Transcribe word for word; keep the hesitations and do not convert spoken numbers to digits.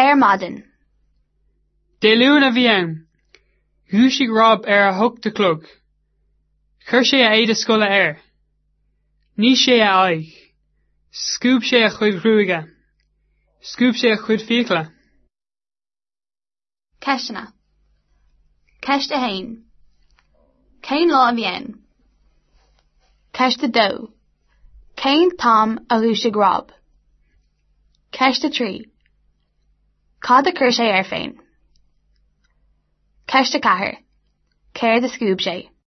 Ar maidin. Dé Luain a bhí ann. Dhúisigh Rob ar a hocht a chlog. Chuir sé a éide scoile air. Nigh sé a aghaidh. Scuab sé a chuid gruaige. Scuab sé a chuid fiacla. Ceisteanna. Ceist a haon. Cén lá a bhí ann? Ceist a dó. Cén t-am a dhúisigh Rob? Ceist a trí. Cad a chuir sé air féin? Ceist a ceathair. Céard a scuab sé?